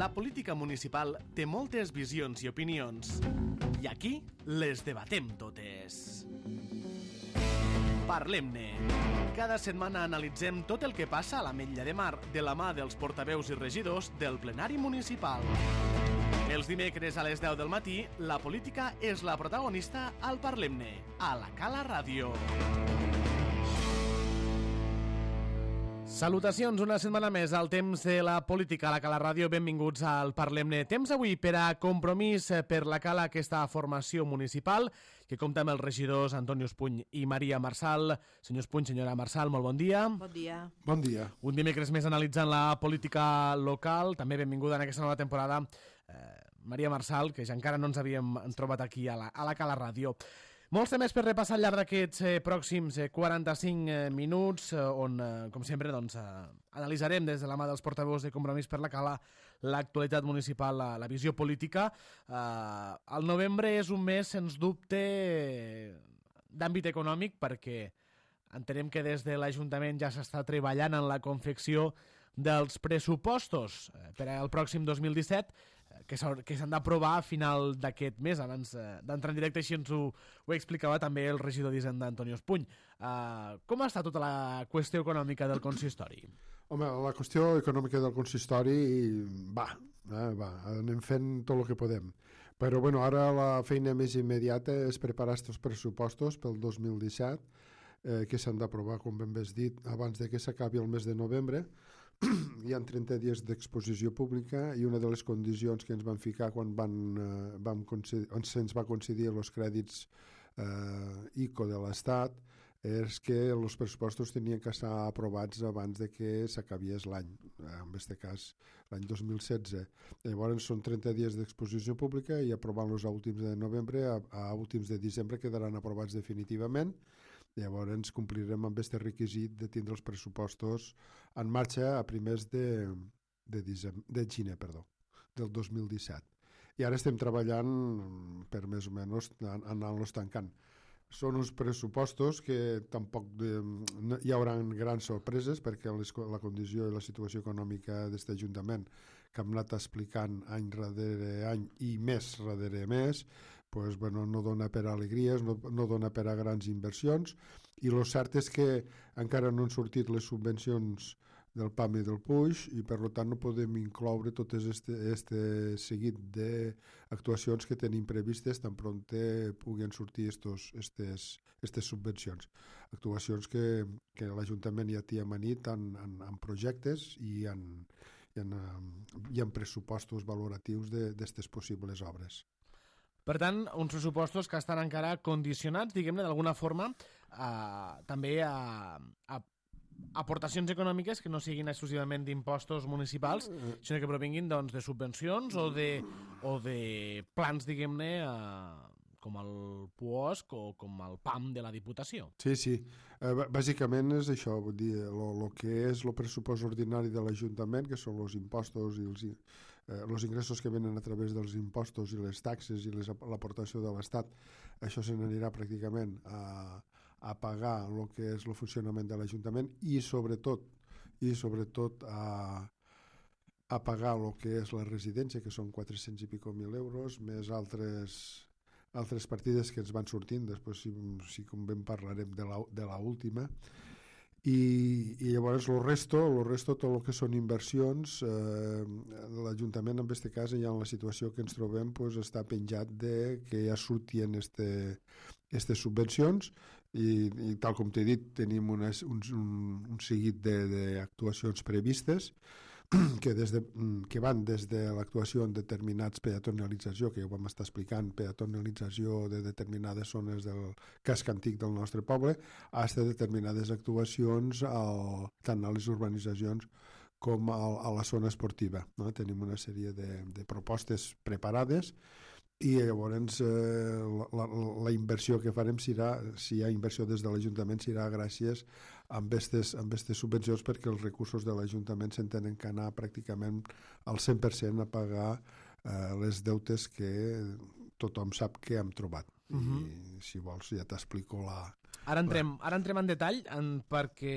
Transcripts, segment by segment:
La política municipal té moltes visions i opinions, i aquí les debatem totes. Parlem-ne. Cada setmana analitzem tot el que passa a l'Ametlla de Mar de la mà dels portaveus i regidors del plenari municipal. Els dimecres a les 10 del matí, la política és la protagonista al Parlem-ne, a la Cala Ràdio. Salutacions, una setmana més al temps de la política a la Cala Ràdio. Benvinguts al Parlem-ne. Temps avui per a Compromís per la Cala, aquesta formació municipal, que compta amb els regidors Antoni Espuny i Maria Marçal. Senyor Espuny, senyora Marçal, molt bon dia. Bon dia. Bon dia. Un dimecres més analitzant la política local. També benvinguda en aquesta nova temporada Maria Marçal, que ja encara no ens havíem trobat aquí a la Cala Ràdio. Molts temes per repassar al llarg d'aquests pròxims 45 minuts, on, com sempre, analitzarem des de la mà dels portaveus de Compromís per la Cala l'actualitat municipal, la visió política. El novembre és un mes, sens dubte, d'àmbit econòmic, perquè entenem que des de l'Ajuntament ja s'està treballant en la confecció dels pressupostos per al pròxim 2017, que s'han d'aprovar a final d'aquest mes. Abans d'entrar en directe, així ens ho explicava també el regidor d'Hisenda, Antoni Espuny. Com està tota la qüestió econòmica del consistori? Home, la qüestió econòmica del consistori va, anem fent tot el que podem. Però bueno, ara la feina més immediata és preparar aquests pressupostos pel 2017, que s'han d'aprovar, com ben bé has dit, abans de que s'acabi el mes de novembre. Hi ha 30 dies d'exposició pública i una de les condicions que ens van ficar quan se'ns va concedir els crèdits ICO de l'Estat és que els pressupostos tenien que estar aprovats abans de que s'acabiés l'any, en aquest cas l'any 2016. Llavors són 30 dies d'exposició pública i aprovant-los a últims de novembre, a últims de desembre quedaran aprovats definitivament. Llavors complirem amb aquest requisit de tindre els pressupostos en marxa a primers de gener del 2017. I ara estem treballant per més o menys anar-los tancant. Són uns pressupostos que tampoc hi haurà grans sorpreses, perquè la condició i la situació econòmica d'aquest Ajuntament, que hem anat explicant any darrere any i mes darrere mes, pues, bueno, no dona per a alegries, no dona per a grans inversions, i el cert és que encara no han sortit les subvencions del PAM i del PUIX, i per tant no podem incloure tot este seguit d'actuacions que tenim previstes tan prompte puguen sortir aquestes subvencions. Actuacions que l'Ajuntament ja té amanit en projectes i en pressupostos valoratius d'aquestes possibles obres. Per tant, uns pressupostos que estan encara condicionats, diguem-ne, d'alguna forma, també a aportacions econòmiques que no siguin exclusivament d'impostos municipals, sinó que provinguin de subvencions o de plans, diguem-ne, com el PUOSC o com el PAM de la Diputació. Sí. Bàsicament és això, vull dir, el que és el pressupost ordinari de l'Ajuntament, que són els impostos i els ingressos que venen a través dels impostos i les taxes i l'aportació de l'Estat. Això se n'anirà pràcticament a pagar el que és el funcionament de l'Ajuntament i sobretot a pagar el que és la residència, que són 400 i pico mil euros, més altres partides que ens van sortint, després si convé parlarem de la última, i llavors el resto, tot el que són inversions, l'Ajuntament en aquest cas, ja en la situació que ens trobem, pues, està penjat de que ja sortien aquestes subvencions i tal com t'he dit, tenim un seguit d'actuacions previstes que van des de l'actuació en determinats peatonalització, que ja ho vam estar explicant, peatonalització de determinades zones del casc antic del nostre poble, fins a determinades actuacions tant a les urbanitzacions com a la zona esportiva. No? Tenim una sèrie de propostes preparades i llavors la inversió que farem serà, si hi ha inversió des de l'Ajuntament, serà gràcies a aquestes subvencions, perquè els recursos de l'Ajuntament s'entenen que anar pràcticament al 100% a pagar les deutes que tothom sap que hem trobat. I si vols ja t'explico Ara entrem en detall perquè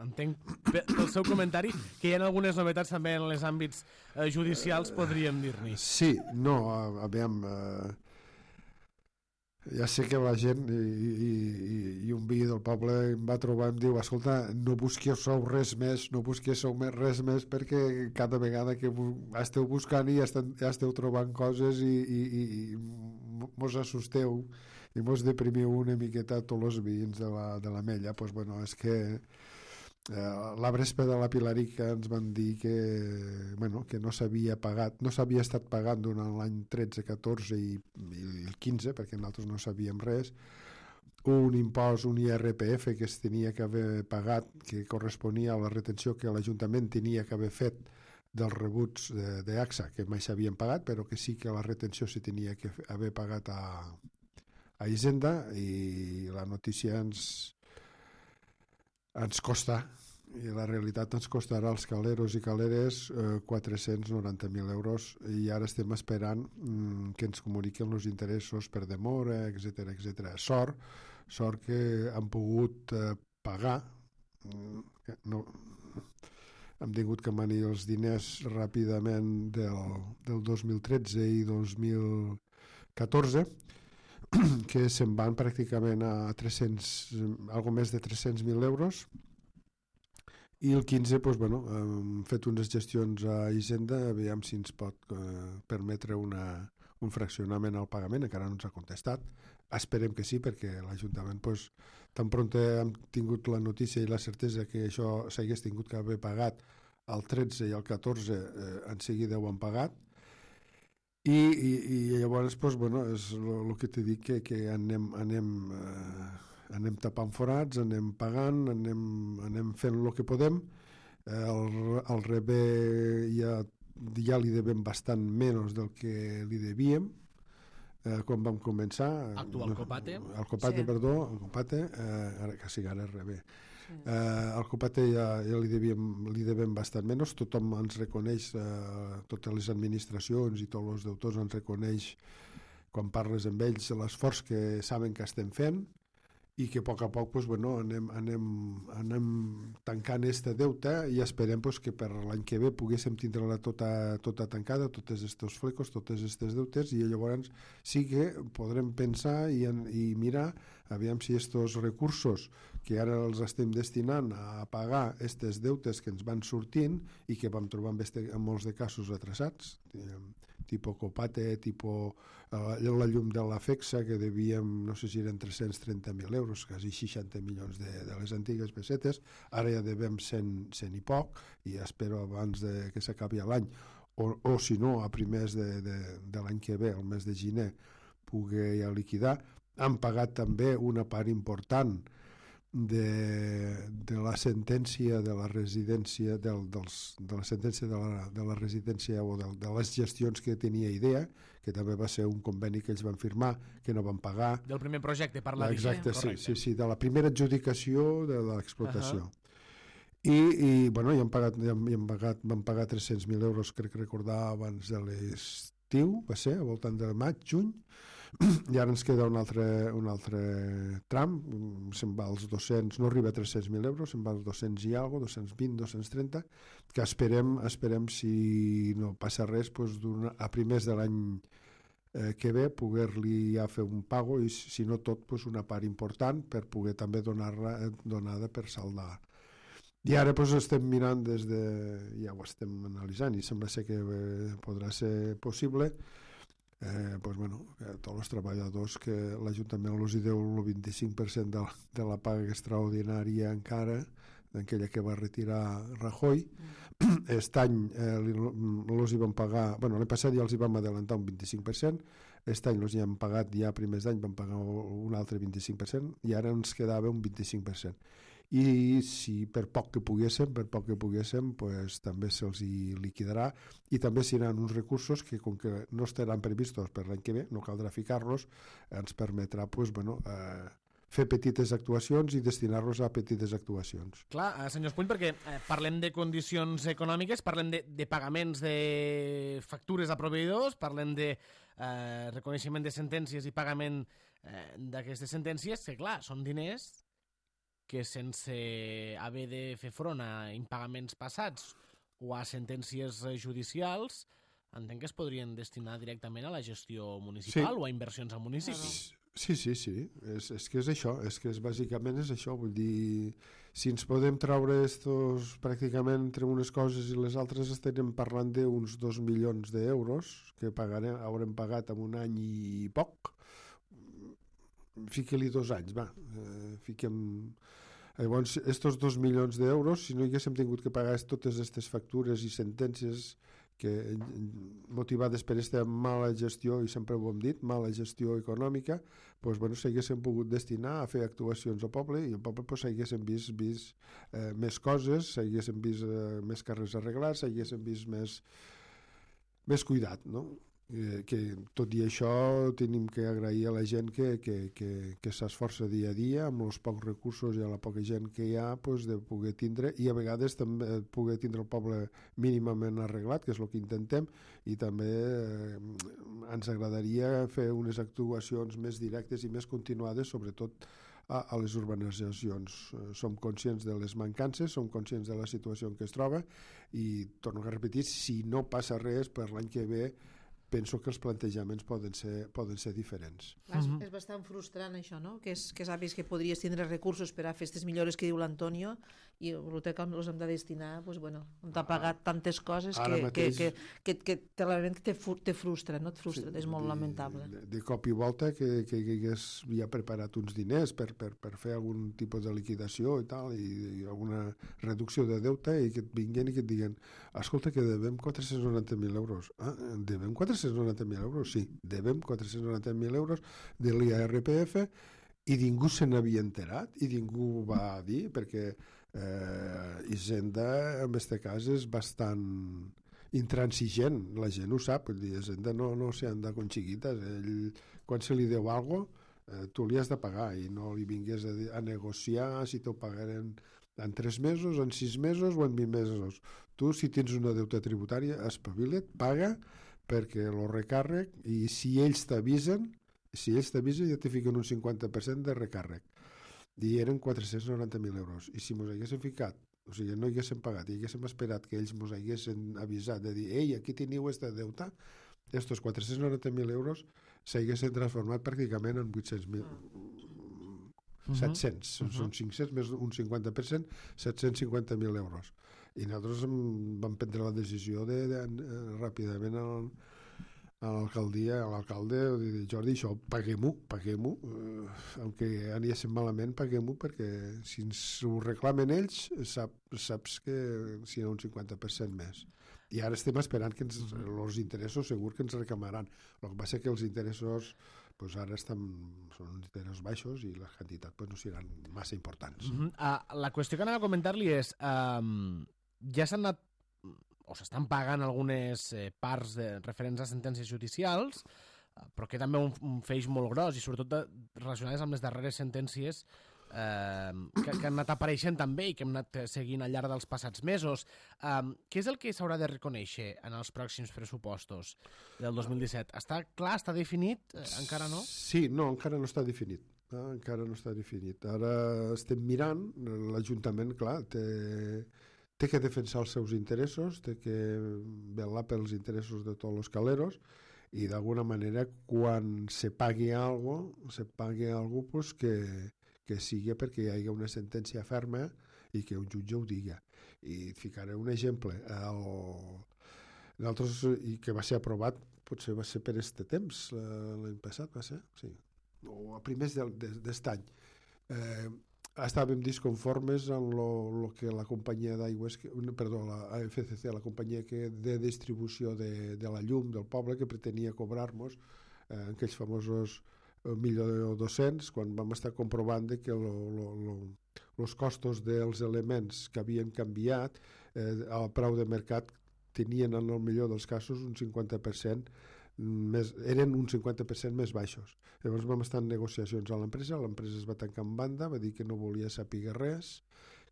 entenc pel seu comentari que hi ha algunes novetats també en els àmbits judicials, podríem dir-ne. Sí, no, aviam... Ja sé que la gent i un veí del poble em va trobar i em diu, escolta, no busquéssiu res més, no busquéssiu res més perquè cada vegada que esteu buscant i ja esteu trobant coses i mos assusteu i mos deprimiu una miqueta tots els veïns de la Mella. Pues, bueno, és que la Brespa de la Pilarica ens van dir que no s'havia pagat, no s'havia estat pagant durant l'any 13, 14 i el 15, perquè nosaltres no sabíem res, un impost, un IRPF que es tenia que haver pagat, que corresponia a la retenció que l'Ajuntament tenia que haver fet dels rebuts d'AXA, que mai s'havien pagat, però que sí que la retenció se tenia que haver pagat a Hisenda, i la notícia ens costa, i la realitat ens costarà als caleros i caleres 490.000 euros, i ara estem esperant que ens comuniquen els interessos per demora, etc etc. Sort que han pogut pagar, no, hem tingut que manir els diners ràpidament del 2013 i 2014, que se'n van pràcticament a 300, algo més de 300.000 euros, i el 15 hem fet unes gestions a Hisenda, aviam si ens pot permetre un fraccionament al pagament. Encara no ens ha contestat, esperem que sí, perquè l'Ajuntament tan pront hem tingut la notícia i la certesa que això s'hagués tingut que haver pagat el 13 i el 14, en seguida ho han pagat. I llavors és el que t'he dit, que anem tapant forats, anem pagant, anem fent el que podem. El rebé ja li devem bastant menys del que li devíem quan vam començar. Actual Copate. El Copate, sí. Perdó, el Copate, ara que sí, ara és rebé. Sí. El Copate ja li devem bastant menys, tothom ens reconeix, totes les administracions i tots els deutors ens reconeix quan parles amb ells l'esforç que saben que estem fent, i que a poc anem tancant este deute, i esperem que per l'any que ve poguéssim tindre-la tota tancada, tots estos flecos, tots estes deutes, i llavors sí que podrem pensar i mirar aviam si estos recursos que ara els estem destinant a pagar estes deutes que ens van sortint i que vam trobar en molts de casos atrasats, tipus Copate, tipus la llum de la FEXA, que devíem, no sé si eren 330.000 euros, quasi 60 milions de les antigues pessetes, ara ja devem 100 i poc, i espero abans que s'acabi l'any, o si no, a primers de l'any que ve, el mes de gener, poder ja liquidar. Han pagat també una part important de la sentència de la residència de la sentència de la residència o de les gestions que tenia IDEA, que també va ser un conveni que ells van firmar, que no van pagar. Del primer projecte, parla d'IDEA. Exacte, sí, de la primera adjudicació de l'explotació. I vam pagar 300.000 euros, crec recordar, abans de l'estiu, va ser, al voltant de maig, juny, i ara ens queda un altre tram, se'n va als 200, no arriba a 300.000 euros, se'n va als 200 i alguna cosa, 220, 230, que esperem, si no passa res, a primers de l'any que ve poder-li ja fer un pago, i si no tot, una part important per poder també donada per saldar. I ara estem mirant ja ho estem analitzant, i sembla ser que podrà ser possible, tots els treballadors que l'Ajuntament els deu el 25% de la paga extraordinària encara, d'aquella que va retirar Rajoy. Aquest any els hi van pagar, l'any passat ja els hi vam adelantar un 25%, aquest any els hi han pagat, ja a primers d'any van pagar un altre 25%, i ara ens quedava un 25%. I si per poc que poguéssim, també se'ls hi liquidarà, i també seran uns recursos que, com que no estaran previstos per l'any que ve, no caldrà ficar-los, ens permetrà fer petites actuacions i destinar-los a petites actuacions. Clar, senyor Espuny, perquè parlem de condicions econòmiques, parlem de pagaments de factures a proveïdors, parlem de reconeixement de sentències i pagament d'aquestes sentències, que clar, són diners que sense haver de fer front a impagaments passats o a sentències judicials, entenc que es podrien destinar directament a la gestió municipal o a inversions al municipi. Sí. És que és això, bàsicament és això, vull dir, si ens podem treure estos pràcticament entre unes coses i les altres estarem parlant d'uns 2 milions d'euros que haurem pagat en un any i poc. Fiqui-li 2 anys, va, fiquem... Llavors, estos 2 milions d'euros, si no haguéssim tingut que pagar totes aquestes factures i sentències que motivades per aquesta mala gestió, i sempre ho hem dit, mala gestió econòmica, doncs, bueno, s'haguessin pogut destinar a fer actuacions al poble, i al poble doncs, s'haguessin vist més coses, s'haguessin vist més carrers arreglats, s'haguessin vist més cuidat, no? Que tot i això tenim que agrair a la gent que s'esforça dia a dia amb els pocs recursos i a la poca gent que hi ha, pues, de poder tindre, i a vegades també poder tindre el poble mínimament arreglat, que és el que intentem, i també ens agradaria fer unes actuacions més directes i més continuades, sobretot a les urbanitzacions. Som conscients de les mancances, som conscients de la situació en què es troba, i torno a repetir, si no passa res per l'any que ve, penso que els plantejaments poden ser diferents. És bastant frustrant això, no? Que saps que podries tindre recursos per a fer aquestes millores que diu l'Antonio i el que els hem de destinar, doncs, bueno, on t'ha pagat tantes coses que te frustra, no? Et frustra, és molt lamentable. De cop i volta que hagués ja preparat uns diners per fer algun tipus de liquidació i tal, i alguna reducció de deute, i que et vinguin i que et diguen, escolta, que devem 490.000 euros. Ah, devem 490.000 euros? Sí, devem 490.000 euros de l'IRPF, i ningú se n'havia enterat, i ningú va dir, perquè Hisenda en aquest cas és bastant intransigent, la gent ho sap, Hisenda no se anda con chiquitas, quan se li deu alguna cosa, tu li has de pagar, i no li vingués a negociar si t'ho pagaren en 3 mesos, en 6 mesos o en 20 mesos. Tu, si tens una deuta tributària, espavila't, paga, perquè el recàrrec, i si ells t'avisen ja te fiquen un 50% de recàrrec, i eren 490.000 euros, i si mos haguéssim ficat, o sigui, no haguéssim pagat i haguéssim esperat que ells mos haguessin avisat de dir, ei, aquí teniu aquesta deuta, estos 490.000 euros s'haguessin transformat pràcticament en 800.000, 700, són 500 més un 50%, 750.000 euros. I nosaltres vam prendre la decisió de ràpidament a l'alcaldia, a l'alcalde, de Jordi, això, paguem-ho, aunque aniéssim malament, paguem-ho, perquè si ens ho reclamen ells, saps que serà un 50% més. I ara estem esperant que els interessos segur que ens reclamaran. El que passa és que els interessos pues ara són interessos baixos i les quantitats pues, no seran massa importants. La qüestió que anava a comentar-li és ja s'han anat o s'estan pagant algunes parts referents a sentències judicials, però que també un feix molt gros, i sobretot relacionades amb les darreres sentències que han anat apareixent també i que hem anat seguint al llarg dels passats mesos. Què és el que s'haurà de reconèixer en els pròxims pressupostos del 2017? Està clar, està definit? Encara no? Sí, no, encara no està definit. Encara no està definit. Ara estem mirant, l'Ajuntament, clar, té que defensar els seus interessos, té que vetllar pels interessos de tots els caleros, i d'alguna manera quan se pagui alguna cosa pues, que sigui perquè hi hagi una sentència ferma i que un jutge ho diga. I et ficaré un exemple. Nosaltres, i que va ser aprovat, potser va ser per este temps, l'any passat va ser, sí, o a primers d'est any. Estàvem disconformes amb el que la companyia d'aigües, la FCC, la companyia de distribució de la llum del poble, que pretenia cobrar-nos aquells famosos 1.200.000, quan vam estar comprovant que els costos dels elements que havien canviat al preu de mercat tenien en el millor dels casos un 50% eren un 50% més baixos. Llavors vam estar en negociacions a l'empresa es va tancar en banda, va dir que no volia saber res,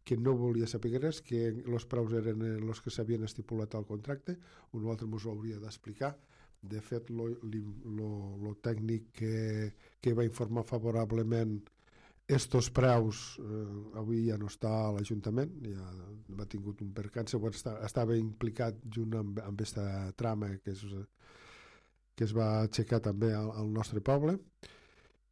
que els preus eren els que s'havien estipulat al contracte, un altre ens ho hauria d'explicar, De fet, lo tècnic que va informar favorablement estos preus avui ja no està a l'Ajuntament, ja va tingut un percanç, estava implicat junt amb aquesta trama que es va aixecar també al nostre poble,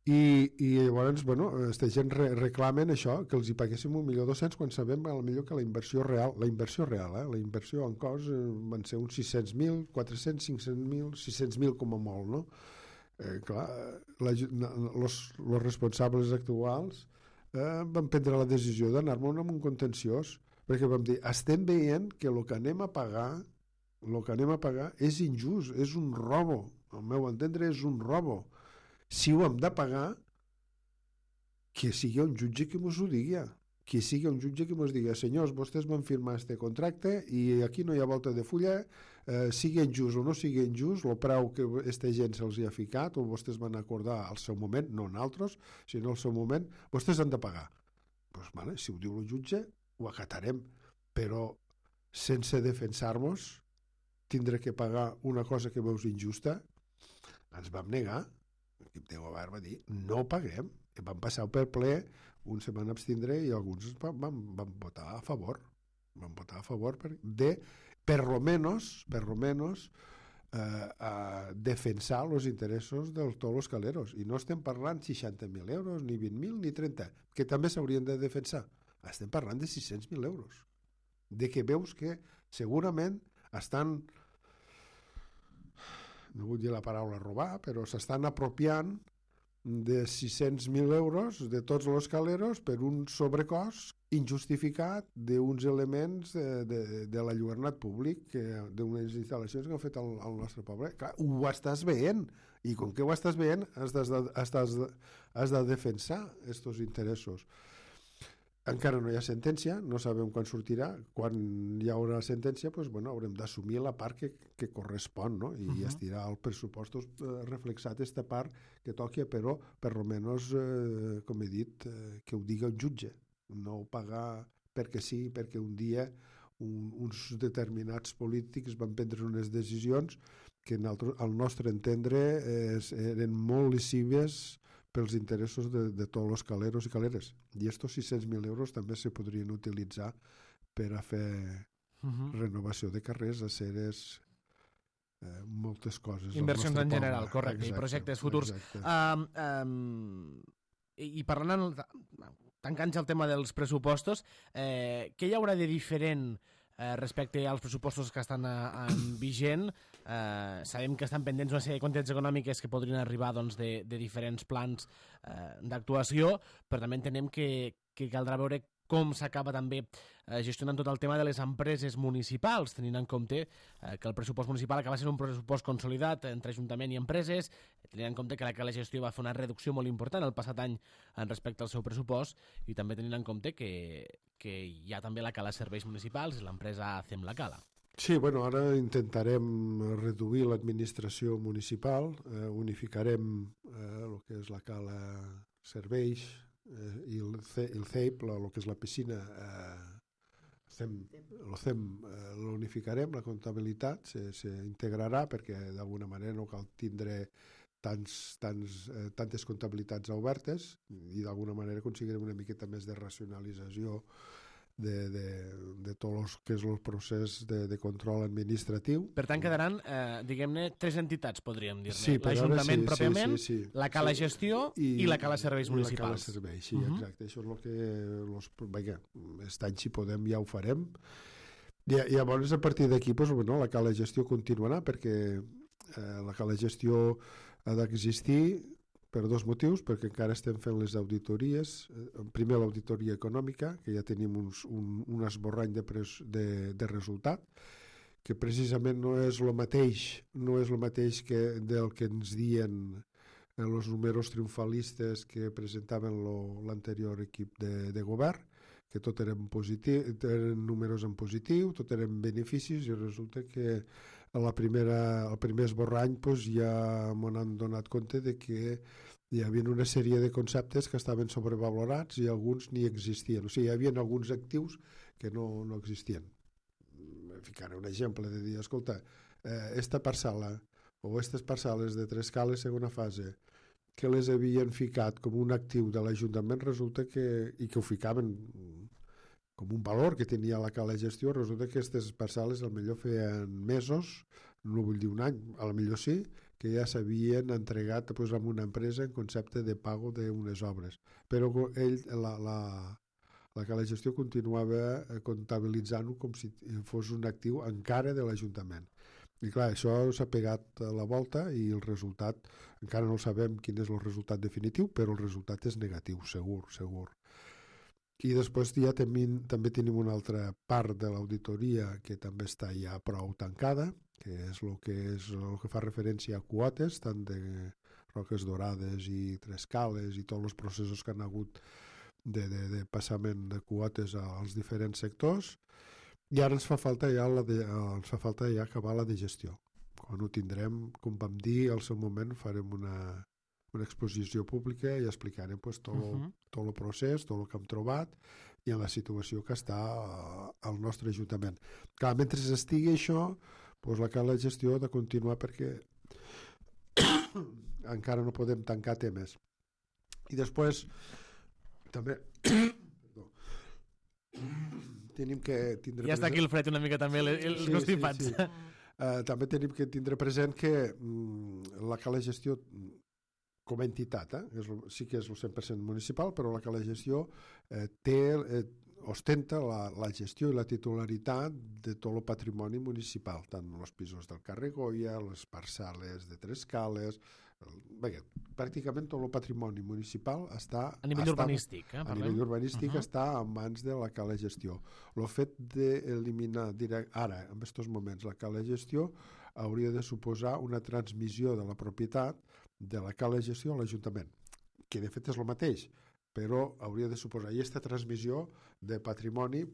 i llavors, bueno, aquesta gent reclamen això, que els hi paguéssim 1.200.000 quan sabem potser que la inversió real, la inversió en cost van ser uns 600.000, 400, 500.000, 600.000 com a molt, no? Clar, els responsables actuals van prendre la decisió d'anar-me'n amb un contenciós, perquè vam dir, estem veient que el que anem a pagar és injust, és un robo, al meu entendre és un robo. Si ho hem de pagar, que sigui un jutge que mos ho digui, senyors, vostès van firmar este contracte i aquí no hi ha volta de fulla, sigui injust o no sigui injust, el preu que aquesta gent se'ls ha ficat o vostès van acordar al seu moment, no nosaltres, sinó al seu moment, vostès han de pagar. Doncs, vale, si ho diu el jutge, ho acatarem, però sense defensar-nos, tindre que pagar una cosa que veus injusta, ens vam negar. L'equip de govern va dir, no paguem. I van passar per ple, uns se van abstindre i alguns van votar a favor. Van votar a favor de, per lo menos, defensar els interessos de tots els caleros. I no estem parlant 60.000 euros, ni 20.000, ni 30, que també s'haurien de defensar. Estem parlant de 600.000 euros. De que veus que segurament estan, no vull dir la paraula robar, però s'estan apropiant de 600.000 euros de tots els caleros per un sobrecost injustificat d'uns elements de l'enlluernat públic, d'unes instal·lacions que han fet al nostre poble. Clar, ho estàs veient, i com que ho estàs veient has de defensar aquests interessos. Encara no hi ha sentència, no sabem quan sortirà. Quan hi haurà sentència, doncs, bueno, haurem d'assumir la part que correspon, no? I estirà el pressupost reflexat aquesta part que toqui, però per almenys, com he dit, que ho digui el jutge, no pagar perquè sí, perquè un dia uns determinats polítics van prendre unes decisions que al nostre entendre eren molt lesives pels interessos de tots els caleros i caleres. I estos 600.000 euros també se podrien utilitzar per a fer renovació de carrers, aceres, moltes coses. Inversions en general, correcte, i projectes futurs. I parlant, tancant el tema dels pressupostos, què hi haurà de diferent respecte als pressupostos que estan vigent? Sabem que estan pendents una sèrie de quantitats econòmiques que podrien arribar de diferents plans d'actuació, però també entenem que caldrà veure com s'acaba també gestionant tot el tema de les empreses municipals, tenint en compte que el pressupost municipal acaba sent un pressupost consolidat entre Ajuntament i empreses, tenint en compte que la gestió va fer una reducció molt important el passat any respecte al seu pressupost, i també tenint en compte que hi ha també la Cala Serveis Municipals i l'empresa Fem la Cala. Sí, bueno, ara intentarem reduir l'administració municipal, unificarem el que és la Cala Serveis i el CEIP, el que és la piscina, l'unificarem, la comptabilitat s'integrarà perquè d'alguna manera no cal tindre tantes comptabilitats obertes i d'alguna manera aconseguirem una miqueta més de racionalització de tot el que és el procés de control administratiu. Per tant, quedaran, diguem-ne, 3 entitats, podríem dir-ne. Sí, l'Ajuntament pròpiament, sí. la Cala Gestió i la Cala Serveis Municipals. I la Cala Serveis, sí, exacte. Això és el que... Vinga, aquest any, si podem, ja ho farem. I llavors, a partir d'aquí, la Cala Gestió continuarà, perquè la Cala Gestió ha d'existir per 2 motius, perquè encara estem fent les auditories. Primer, l'auditoria econòmica, que ja tenim un esborrany de resultat, que precisament no és el mateix que del que ens diuen els números triomfalistes que presentaven l'anterior equip de govern, que tot eren números en positiu, tot eren beneficis, i resulta que el primer esborrany ja m'han donat compte de que hi havia una sèrie de conceptes que estaven sobrevalorats i alguns ni existien. O sigui, hi havia alguns actius que no existien. Ficaré un exemple de dir, escolta, esta parcel·la o aquestes parcel·les de Trescales segona fase, que les havien ficat com un actiu de l'Ajuntament, resulta que, i que ho ficaven com un valor que tenia la cala de gestió, resulta que aquestes parcel·les al millor feien mesos, no vull dir un any, a lo millor sí, que ja s'havien entregat pues, a una empresa en concepte de pago d'unes obres. Però la cala de gestió continuava comptabilitzant-ho com si fos un actiu encara de l'Ajuntament. I clar, això s'ha pegat a la volta i el resultat, encara no sabem quin és el resultat definitiu, però el resultat és negatiu, segur. I després ja també tenim una altra part de l'auditoria que també està ja prou tancada, que és el que fa referència a quotes, tant de Roques Dorades i Trescales i tots els processos que han hagut de passament de quotes als diferents sectors. I ara ens fa falta ja acabar la de gestió. Quan ho tindrem, com vam dir, al seu moment farem una exposició pública i explicarem pues, tot el procés, tot el que hem trobat i en la situació que està al nostre Ajuntament. Clar, mentre estigui això, pues, la cala de gestió ha de continuar perquè encara no podem tancar temes. I després també tenim que tindre ja està aquí el fred una mica també, els constipats. Sí. També tenim que tindre present que la cala de gestió com a entitat, sí que és el 100% municipal, però la cala de gestió ostenta la gestió i la titularitat de tot el patrimoni municipal, tant els pisos del carrer Goya, les parcel·les de Trescales, pràcticament tot el patrimoni municipal està a nivell urbanístic, a nivell urbanístic està en mans de la cala de gestió. El fet d'eliminar ara, en aquests moments, la cala de gestió hauria de suposar una transmissió de la propietat de la cala de gestió a l'Ajuntament, que de fet és el mateix, però hauria de suposar. I aquesta transmissió de patrimoni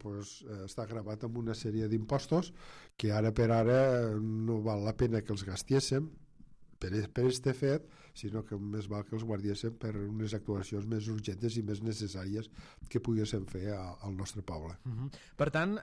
està gravat amb una sèrie d'impostos que ara per ara no val la pena que els gastéssim per aquest fet, sinó que més val que els guardiéssim per unes actuacions més urgents i més necessàries que poguéssim fer al nostre poble. Per tant,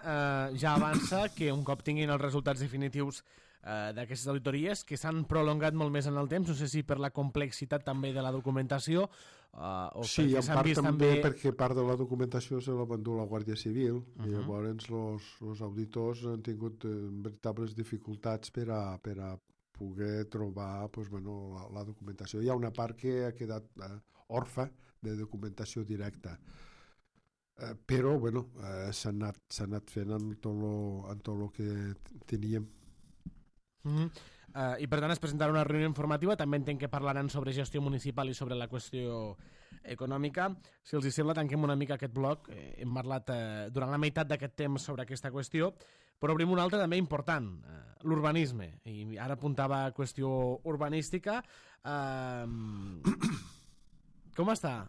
ja avança que un cop tinguin els resultats definitius d'aquestes auditories, que s'han prolongat molt més en el temps, no sé si per la complexitat també de la documentació o sí, en part també perquè part de la documentació se la van dur la Guàrdia Civil i llavors els auditors han tingut veritables dificultats per a poder trobar la documentació. Hi ha una part que ha quedat orfa de documentació directa, però s'ha anat fent en tot el que teníem. I per tant es presentarà una reunió informativa, també entenc que parlaran sobre gestió municipal i sobre la qüestió econòmica. Si els sembla, tanquem una mica aquest bloc. Hem parlat durant la meitat d'aquest temps sobre aquesta qüestió, però obrim una altra també important, l'urbanisme, i ara apuntava a qüestió urbanística. Com està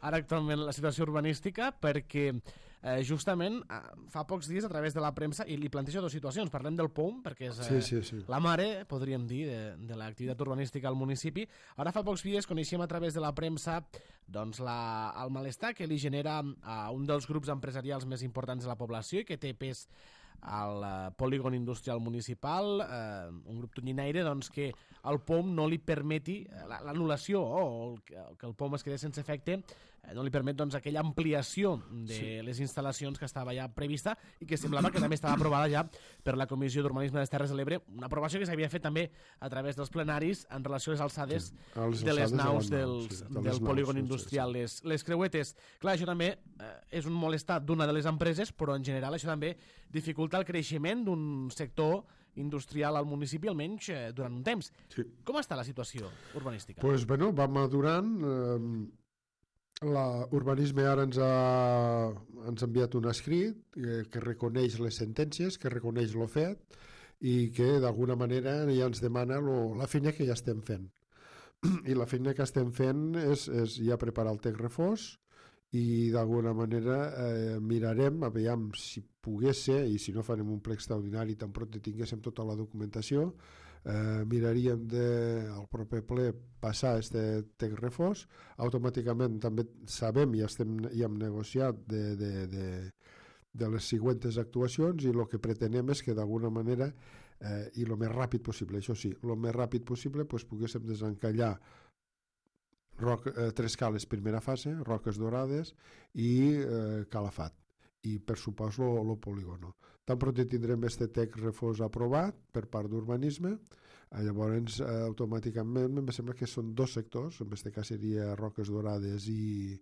ara actualment la situació urbanística? Perquè justament fa pocs dies a través de la premsa, i li plantejo dues situacions, parlem del POUM perquè és la mare, podríem dir, de l'activitat urbanística al municipi. Ara fa pocs dies coneixem a través de la premsa doncs, el malestar que li genera a un dels grups empresarials més importants de la població i que té pes al polígon industrial municipal, un grup tonyinaire, doncs, que el POUM no li permeti l'anul·lació o que el POUM es quedi sense efecte, no li permet doncs, aquella ampliació de les instal·lacions que estava ja prevista i que semblava que també estava aprovada ja per la Comissió d'Urbanisme de les Terres de l'Ebre, una aprovació que s'havia fet també a través dels plenaris en relació a les alçades de les naus del polígon industrial, les creuetes. Clar, això també és un molestat d'una de les empreses, però en general això també dificulta el creixement d'un sector industrial al municipi, almenys durant un temps. Com està la situació urbanística? Doncs, va madurant. L'urbanisme ara ens ha enviat un escrit que reconeix les sentències, que reconeix el fet i que d'alguna manera ja ens demana la feina que ja estem fent. I la feina que estem fent és ja preparar el text refós i d'alguna manera mirarem, aviam si pogués ser, i si no farem un ple extraordinari tan pront tinguéssim tota la documentació, miraríem al proper ple passar aquest text refós. Automàticament també sabem i hem negociat de les següents actuacions i el que pretenem és que d'alguna manera i el més ràpid possible, això sí, el més ràpid possible poguéssim desencallar tres cales primera fase, Roques Dorades i Calafat, i per supost el polígono. Tan pront tindrem este TEC refós aprovat per part d'urbanisme, llavors automàticament em sembla que són dos sectors, en aquest cas seria Roques Dorades i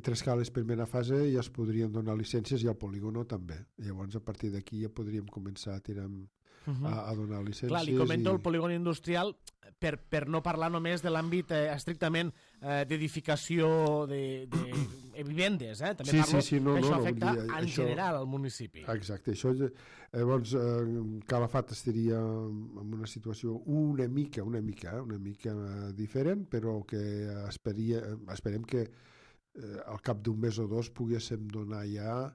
tres cales primera fase, ja es podrien donar llicències, i al polígono també. Llavors a partir d'aquí ja podríem començar a tirar a donar llicències. Clar, li comento el polígon industrial per no parlar només de l'àmbit estrictament d'edificació de vivendes, també parlo que això afecta en general al municipi. Exacte, això llavors Calafat estaria en una situació una mica diferent, però que esperem que al cap d'un mes o dos poguéssim donar ja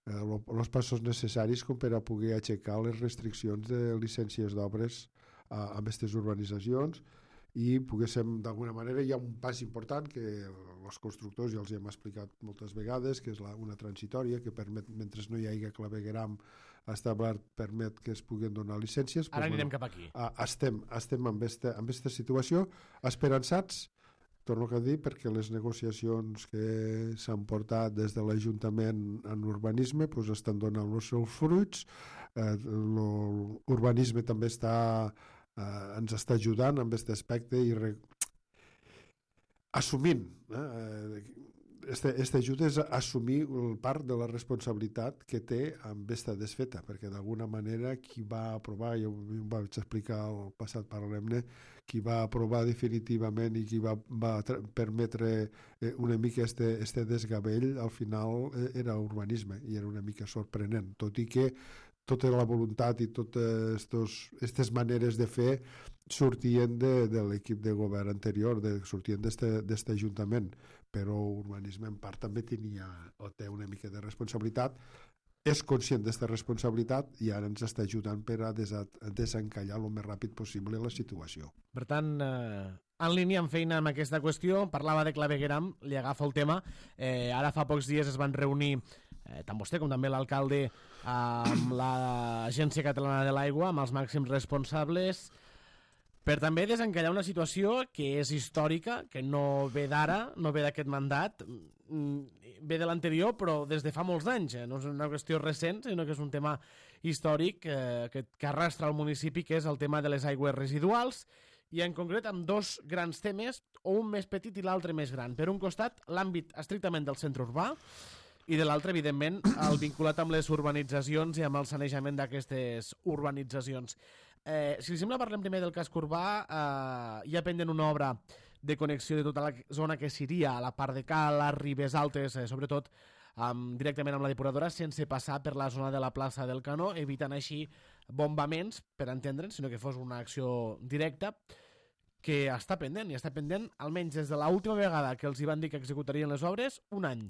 els passos necessaris com per a poder aixecar les restriccions de llicències d'obres a aquestes urbanitzacions, i poguéssim, d'alguna manera, hi ha un pas important que els constructors ja els hem explicat moltes vegades, que és una transitòria que permet, mentre no hi hagi clavegueram establert, permet que es puguin donar llicències. Ara anirem cap aquí. Estem en aquesta situació esperançats, torno a dir, perquè les negociacions que s'han portat des de l'Ajuntament en urbanisme estan donant els seus fruits. L'urbanisme també ens està ajudant en aquest aspecte i assumint aquesta ajuda és assumir part de la responsabilitat que té amb aquesta desfeta, perquè d'alguna manera qui va aprovar, jo ho vaig explicar al passat Parlemne, qui va aprovar definitivament i qui va permetre una mica este desgavell, al final era urbanisme, i era una mica sorprenent, tot i que tota la voluntat i totes aquestes maneres de fer sortien de l'equip de govern anterior, sortien d'aquest ajuntament, però urbanisme en part també tenia o té una mica de responsabilitat, és conscient d'aquesta responsabilitat i ara ens està ajudant per a desencallar el més ràpid possible la situació. Per tant, en línia amb feina amb aquesta qüestió, parlava de clavegueram, li agafo el tema, ara fa pocs dies es van reunir tant vostè com també l'alcalde amb l'Agència Catalana de l'Aigua, amb els màxims responsables, per també desencallar una situació que és històrica, que no ve d'ara, no ve d'aquest mandat, ve de l'anterior, però des de fa molts anys. No és una qüestió recent, sinó que és un tema històric que arrastra el municipi, que és el tema de les aigües residuals, i en concret amb dos grans temes, o un més petit i l'altre més gran. Per un costat, l'àmbit estrictament del centre urbà, i de l'altre, evidentment, el vinculat amb les urbanitzacions i amb el sanejament d'aquestes urbanitzacions. Si li sembla, parlem primer del casc urbà. Hi ha pendent una obra de connexió de tota la zona que seria a la part de Cala, Ribes Altes, sobretot directament amb la depuradora, sense passar per la zona de la plaça del Canó, evitant així bombaments, per entendre'ns, sinó que fos una acció directa, que està pendent, i està pendent almenys des de l'última vegada que els hi van dir que executarien les obres, un any.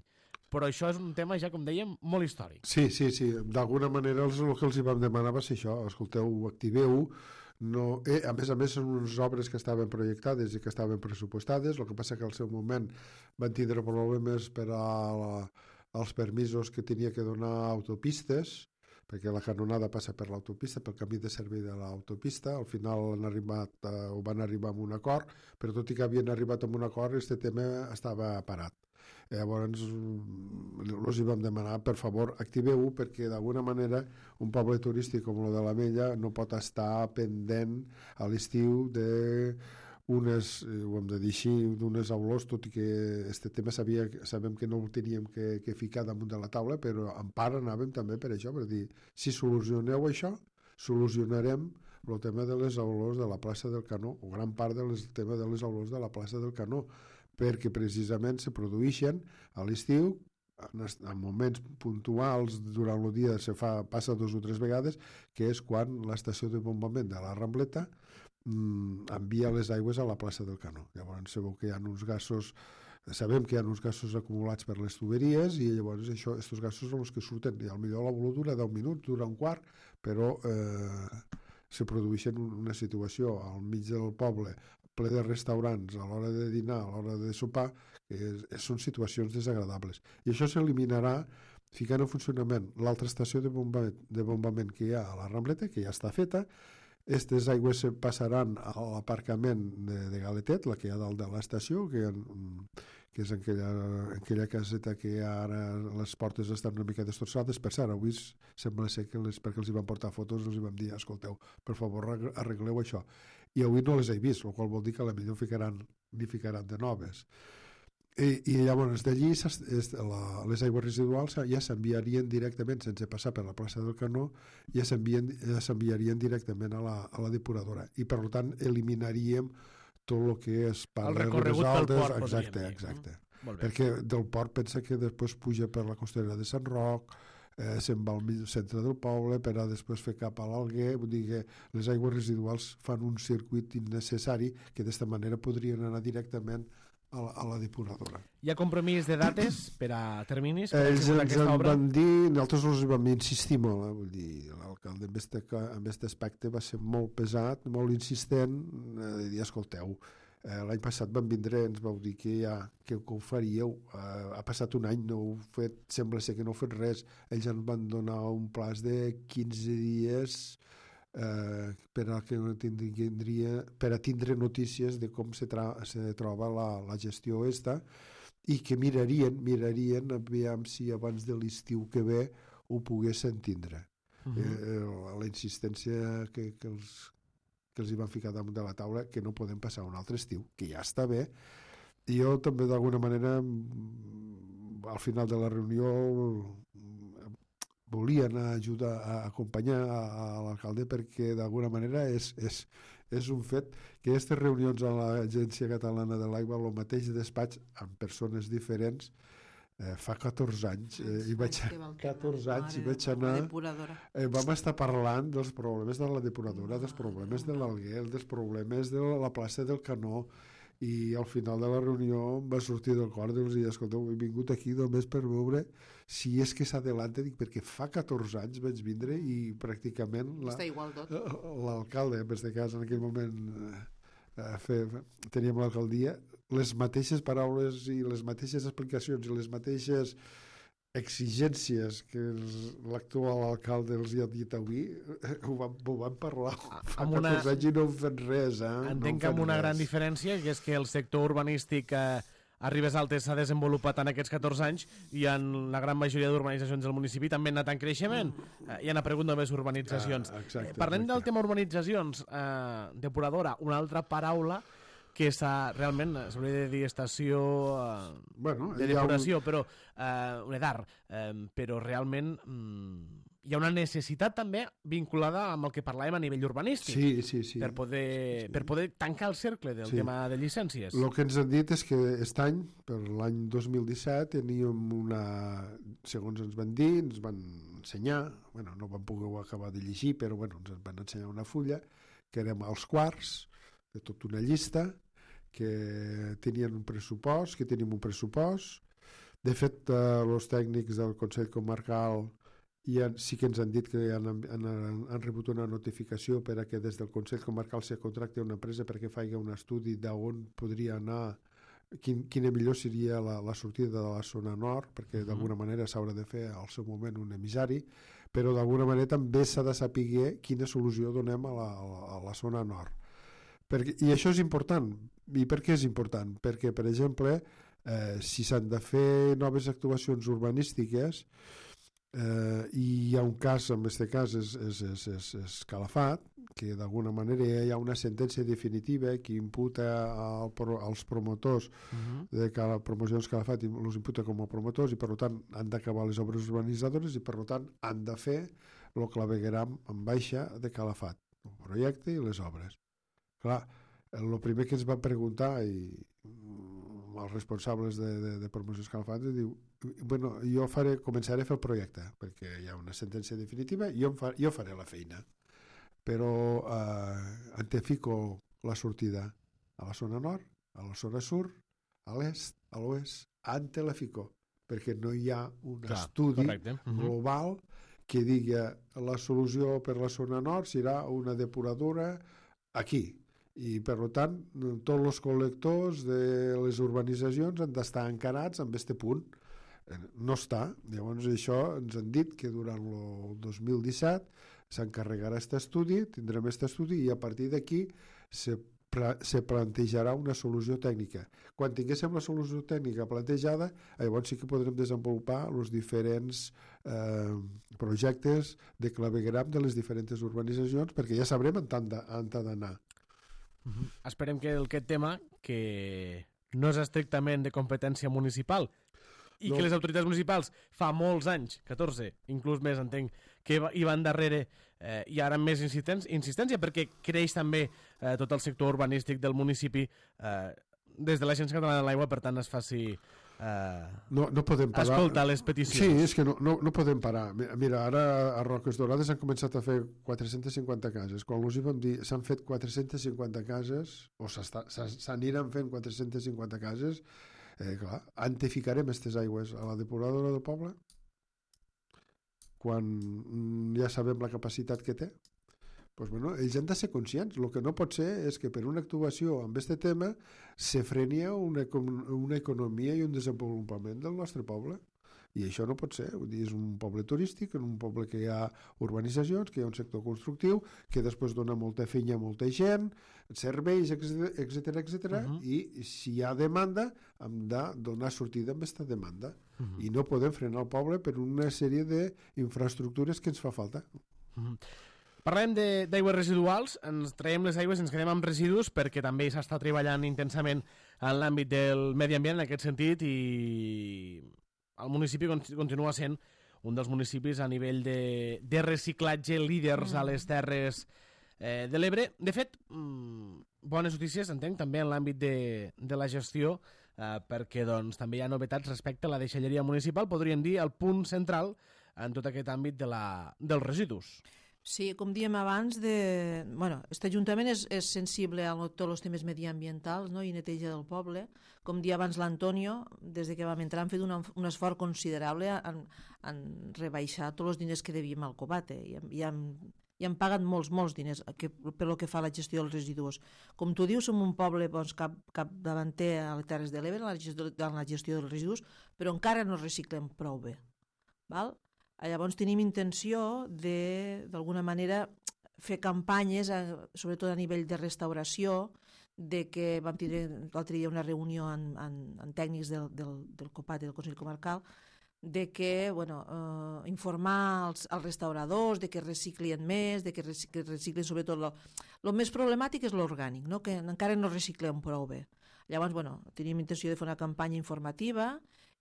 Però això és un tema, ja com dèiem, molt històric. Sí. D'alguna manera el que els hi vam demanar va ser això. Escolteu, activeu. A més, són unes obres que estaven projectades i que estaven pressupostades. El que passa que al seu moment van tindre problemes per als permisos que tenia que donar autopistes, perquè la canonada passa per l'autopista, pel camí de servei de l'autopista. Al final van arribar a un acord, però tot i que havien arribat a un acord, aquest tema estava parat. Llavors els hi vam demanar, per favor, activeu-ho, perquè d'alguna manera un poble turístic com el de l'Ametlla no pot estar pendent a l'estiu d'unes, ho hem de dir així, d'unes aulors, tot i que aquest tema sabem que no ho teníem que ficar damunt de la taula, però en part anàvem també per això, per dir, si solucioneu això, solucionarem el tema de les aulors de la plaça del Canó, o gran part del tema de les aulors de la plaça del Canó, perquè precisament se produeixen a l'estiu, en moments puntuals durant el dia passa 2 o 3 vegades, que és quan l'estació de bombament de la Rambleta envia les aigües a la plaça del Canó. Llavors sabeu que hi ha uns gasos, sabem que hi ha uns gasos acumulats per les tuberies, i llavors aquests gasos són els que surten, i potser la voló dura 10 minuts, dura un quart, però se produeixen una situació al mig del poble ple de restaurants a l'hora de dinar, a l'hora de sopar, que són situacions desagradables. I això s'eliminarà ficant en funcionament l'altra estació de bombament que hi ha a la Rambleta, que ja està feta. Aquestes aigües passaran a l'aparcament de Galetet, la que hi ha dalt de l'estació, que és aquella caseta que ara les portes estan una mica destrossades. Per cert, avui sembla ser que perquè els hi van portar fotos els hi vam dir, escolteu, per favor arregleu això. I avui no les he vist, el qual vol dir que potser n'hi ficaran de noves. I llavors d'allí les aigües residuals ja s'enviarien directament, sense passar per la plaça del Canó, ja s'enviarien directament a la depuradora, i per tant eliminaríem tot el que és el recorregut pel port, exacte. Perquè del port pensa que després puja per la costanera de Sant Roc, se'n va al centre del poble per a després fer cap a l'Alguer. Vull dir que les aigües residuals fan un circuit innecessari que d'esta manera podrien anar directament a la depuradora. Hi ha compromís de dates per a terminis? Ells ens van dir, nosaltres els vam insistir molt, vull dir, l'alcalde en aquest aspecte va ser molt pesat, molt insistent, de dir, escolteu, l'any passat van vindre, ens vau dir que ho faríeu, ha passat un any, no heu fet, sembla ser que no heu fet res, ells ens van donar un plaç de 15 dies per a tindre notícies de com se troba la gestió esta, i que mirarien aviam si abans de l'estiu que ve ho poguessin tindre. La insistència que els hi van ficar damunt de la taula, que no podem passar un altre estiu, que ja està bé. I jo també d'alguna manera al final de la reunió volia anar a ajudar a acompanyar a l'alcalde, perquè d'alguna manera és un fet que aquestes reunions a l'Agència Catalana de l'Aigua, el mateix despatx amb persones diferents, fa 14 anys i vaig anar, vam estar parlant dels problemes de la depuradora, dels problemes de l'Alguer, dels problemes de la plaça del Canó, i al final de la reunió em va sortir del cor i els dir, escolteu, he vingut aquí només per veure si és que s'adelanta, perquè fa 14 anys vaig vindre i pràcticament l'alcalde, en aquest cas en aquell moment teníem l'alcaldia, les mateixes paraules i les mateixes explicacions i les mateixes exigències que l'actual alcalde els hi ha dit avui, ho van parlar fa 14 anys i no han fet res. Entenc que amb una gran diferència, que és que el sector urbanístic a Ribes Altes s'ha desenvolupat en aquests 14 anys i en la gran majoria d'urbanitzacions del municipi també han anat en creixement i han aparegut noves urbanitzacions. Parlem del tema urbanitzacions, depuradora, una altra paraula que realment s'hauria de dir estació de depuració, però un EDAR, però realment hi ha una necessitat també vinculada amb el que parlàvem a nivell urbanístic per poder tancar el cercle del tema de llicències. El que ens han dit és que aquest any, per l'any 2017, teníem segons ens van dir, ens van ensenyar, no vam poder acabar de llegir, però ens van ensenyar una fulla, que érem als quarts de tota una llista, que tenien un pressupost, que tenim un pressupost. De fet, els tècnics del Consell Comarcal sí que ens han dit que han rebut una notificació per a que des del Consell Comarcal se contracti una empresa perquè faci un estudi d'on podria anar, quina millor seria la sortida de la zona nord, perquè d'alguna manera s'haurà de fer al seu moment un emissari, però d'alguna manera també s'ha de saber quina solució donem a la zona nord. I això és important. I per què és important? Perquè, per exemple, si s'han de fer noves actuacions urbanístiques i hi ha un cas, en aquest cas és Calafat, que d'alguna manera hi ha una sentència definitiva que imputa als promotors de Promocions Calafat, els imputa com a promotors i per tant han d'acabar les obres urbanitzadores i per tant han de fer el clavegueram en baixa de Calafat, el projecte i les obres. Clar, el primer que ens van preguntar els responsables de Promocions Calafat diu, jo començaré a fer el projecte perquè hi ha una sentència definitiva i jo faré la feina, però en te fico la sortida a la zona nord, a la zona sud, a l'est, a l'oest, en te la fico, perquè no hi ha un estudi global que digui la solució per la zona nord serà una depuradora aquí. I, per tant, tots els col·lectors de les urbanitzacions han d'estar encarats amb aquest punt, No està. Llavors això ens han dit que durant el 2017 s'encarregarà aquest estudi, tindrem aquest estudi i a partir d'aquí se plantejarà una solució tècnica. Quan tinguéssim la solució tècnica plantejada, llavors sí que podrem desenvolupar els diferents projectes de clavegueram de les diferents urbanitzacions, perquè ja sabrem on han d'anar. Esperem que aquest tema, que no és estrictament de competència municipal, i que les autoritats municipals fa molts anys, 14, inclús més entenc, que hi van darrere i ara amb més insistència, perquè creix també tot el sector urbanístic del municipi des de l'Agència Catalana de l'Aigua, per tant es faci no podem parar. Escoltar les peticions. Sí, és que no podem parar. Mira, ara a Roques Dorades han començat a fer 450 cases. Quan els hi vam dir s'han fet 450 cases, o s'aniran fent 450 cases, clar, on te ficarem aquestes aigües? A la depuradora del poble? Quan ja sabem la capacitat que té? Pues bueno, ells han de ser conscients. El que no pot ser és que per una actuació amb aquest tema se frenia una economia i un desenvolupament del nostre poble. I això no pot ser. Vull dir, és un poble turístic, un poble que hi ha urbanitzacions, que hi ha un sector constructiu, que després dona molta feina a molta gent, serveis, etc. I si hi ha demanda, hem de donar sortida amb aquesta demanda. I no podem frenar el poble per una sèrie d'infraestructures que ens fa falta. Parlem d'aigües residuals, ens traiem les aigües i ens quedem amb residus perquè també s'està treballant intensament en l'àmbit del medi ambient en aquest sentit i el municipi continua sent un dels municipis a nivell de reciclatge líders a les Terres de l'Ebre. De fet, bones notícies, entenc, també en l'àmbit de la gestió perquè doncs, també hi ha novetats respecte a la deixalleria municipal, podríem dir el punt central en tot aquest àmbit dels residus. Sí, com dèiem abans, aquest Ajuntament és sensible a tots els temes mediambientals, no? I neteja del poble. Com dia abans l'Antonio, des que vam entrar, han fet un esforç considerable en rebaixar tots els diners que devíem al Copate. I han pagat molts diners per lo que fa a la gestió dels residus. Com tu dius, som un poble capdavanter a les Terres de l'Ebre en la gestió dels residus, però encara no reciclem prou bé. Val? Llavors tenim intenció d'alguna manera fer campanyes, sobretot a nivell de restauració, de que vam tindre l'altre dia una reunió amb tècnics del COPAT i del Consell Comarcal, de que informar els restauradors de que reciclin més, de que reciclin sobretot el més problemàtic és l'orgànic, no? Que encara no reciclem prou bé. Llavors, tenim intenció de fer una campanya informativa.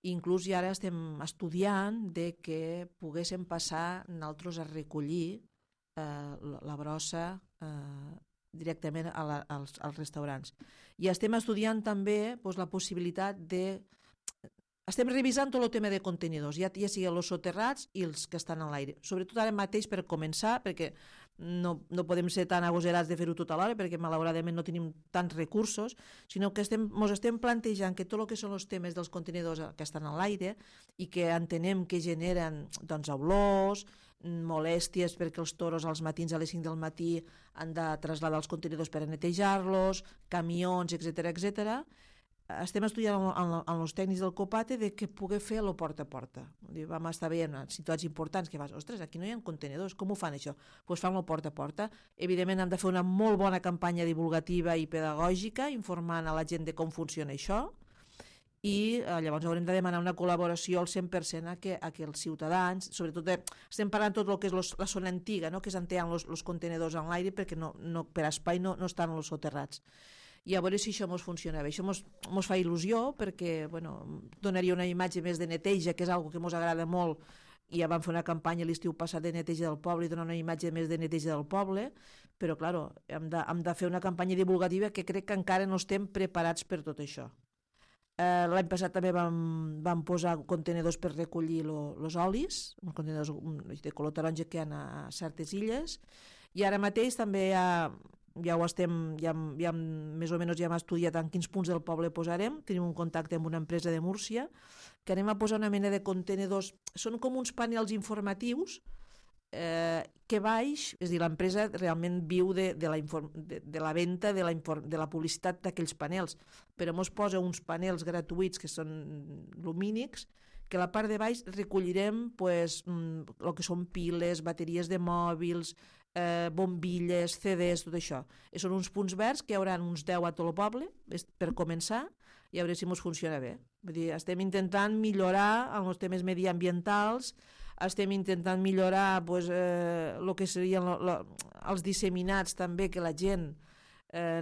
Inclús ja ara estem estudiant de que poguéssim passar nosaltres a recollir la brossa directament als restaurants. I estem estudiant també la possibilitat de... Estem revisant tot el tema de contenidors, ja sigui els soterrats i els que estan a l'aire. Sobretot ara mateix per començar, perquè no podem ser tan agosarats de fer-ho tot a l'hora, perquè malauradament no tenim tants recursos, sinó que ens estem plantejant que tot el que són els temes dels contenidors que estan a l'aire i que entenem que generen olors, molèsties perquè els toros als matins a les 5 del matí han de traslladar els contenidors per a netejar-los, camions, etc. Estem estudiant amb els tècnics del Copate de què poder fer el porta a porta. Vam estar veient situats importants que vas, ostres, aquí no hi ha contenidors, com ho fan això? Doncs fan el porta a porta. Evidentment hem de fer una molt bona campanya divulgativa i pedagògica informant a la gent de com funciona això i llavors haurem de demanar una col·laboració al 100% a que els ciutadans, sobretot estem parlant tot el que és la zona antiga, no? Que s'entenen els contenidors en l'aire perquè per espai no estan els soterrats. I a veure si això ens funciona bé. Això ens fa il·lusió perquè donaria una imatge més de neteja, que és una que ens agrada molt, i ja vam fer una campanya l'estiu passat de neteja del poble i donar una imatge més de neteja del poble, però clar, hem de fer una campanya divulgativa que crec que encara no estem preparats per tot això. L'any passat també vam posar contenidors per recollir els olis, uns contenidors de color taronja que hi ha a certes illes, i ara mateix també ja més o menys ja hem estudiat en quins punts del poble posarem. Tenim un contacte amb una empresa de Múrcia que anem a posar una mena de contenidors, són com uns panels informatius que baix, és a dir, l'empresa realment viu de la venda, de la publicitat d'aquells panels, però ens posa uns panels gratuïts que són lumínics que a la part de baix recollirem pues, el que són piles, bateries de mòbils, bombilles, CDs, tot això. Són uns punts verds que hi haurà uns 10 a tot el poble per començar i a veure si ens funciona bé. Vull dir, estem intentant millorar els temes mediambientals, estem intentant millorar pues, el que serien els disseminats també, que la gent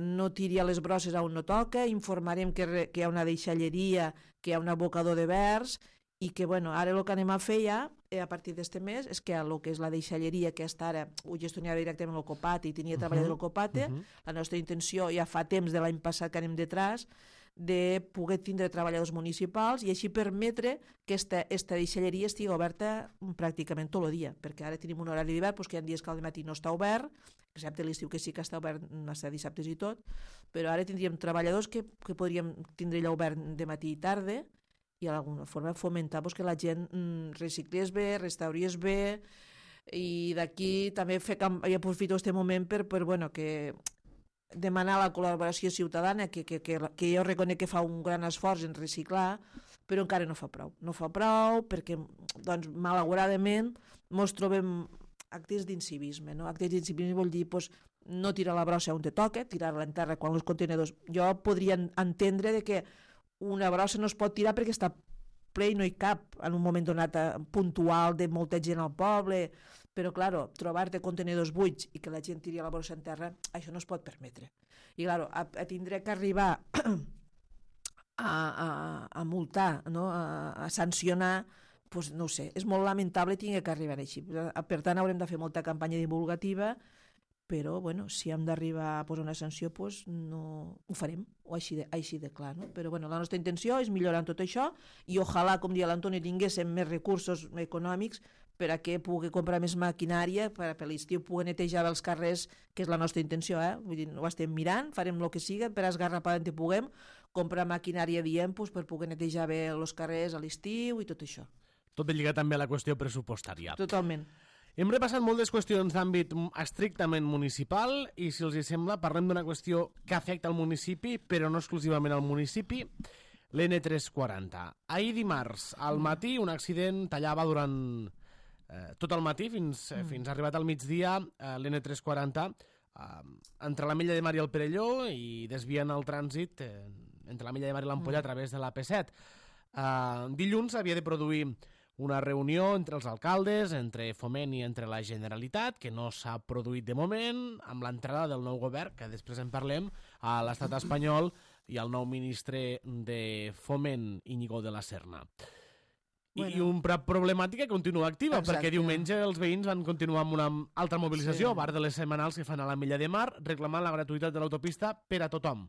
no tiri a les brosses on no toca, informarem que hi ha una deixalleria, que hi ha un abocador de verds, i que bueno, ara el que anem a fer ja a partir d'este mes és que el que és la deixalleria, que hasta ara ho gestionava directament el Copate i tenia treballat el Copate, la nostra intenció ja fa temps de l'any passat que anem detrás de poder tindre treballadors municipals i així permetre que esta deixalleria estigui oberta pràcticament tot el dia, perquè ara tenim un horari d'hivern que hi ha dies que al matí no està obert, excepte l'estiu que sí que està obert hasta dissabtes i tot, però ara tindríem treballadors que podríem tindre allà obert de matí i tarda i d'alguna forma fomentar que la gent reciclés bé, restaurés bé, i d'aquí també aprofito aquest moment per bueno, que demanar la col·laboració ciutadana, que jo reconec que fa un gran esforç en reciclar, però encara no fa prou. No fa prou perquè, doncs, malauradament, ens trobem actes d'incivisme. No? Actes d'incivisme vol dir no tirar la brossa on te toca, tirar-la en terra quan els contenidors... Jo podria entendre que una brossa no es pot tirar perquè està ple i no hi cap en un moment donat puntual de molta gent al poble, però, clar, trobar-te contenidors buits i que la gent tiri la brossa en terra, això no es pot permetre. I, clar, tindré que arribar a multar, no? A sancionar, doncs no ho sé, és molt lamentable que arribar així. Per tant, haurem de fer molta campanya divulgativa, però, bueno, si hem d'arribar a posar una sanció, doncs no ho farem, o així de clar, no? Però, bueno, la nostra intenció és millorar en tot això i ojalà, com dia l'Antoni, tinguéssim més recursos econòmics per a que pugui comprar més maquinària, per a l'estiu pugui netejar els carrers, que és la nostra intenció, Vull dir, ho estem mirant, farem el que siga, per esgarrapar on puguem, comprar maquinària, diem, per poder netejar bé els carrers a l'estiu i tot això. Tot lligat també a la qüestió pressupostària. Totalment. Hem repassat moltes qüestions d'àmbit estrictament municipal i, si els hi sembla, parlem d'una qüestió que afecta al municipi, però no exclusivament al municipi, l'N340. Ahir dimarts, al matí, un accident tallava durant tot el matí, fins arribat al migdia, l'N340, entre l'Ametlla de Mar i el Perelló, i desviant el trànsit entre l'Ametlla de Mar i l'Ampolla a través de l'AP7. Dilluns havia de produir una reunió entre els alcaldes, entre Foment i entre la Generalitat, que no s'ha produït de moment, amb l'entrada del nou govern, que després en parlem, a l'estat espanyol, i el nou ministre de Foment, Íñigo de la Serna. I una problemàtica que continua activa, perquè diumenge els veïns van continuar amb una altra mobilització, a part de les setmanals que fan a l'Ametlla de Mar, reclamant la gratuïtat de l'autopista per a tothom.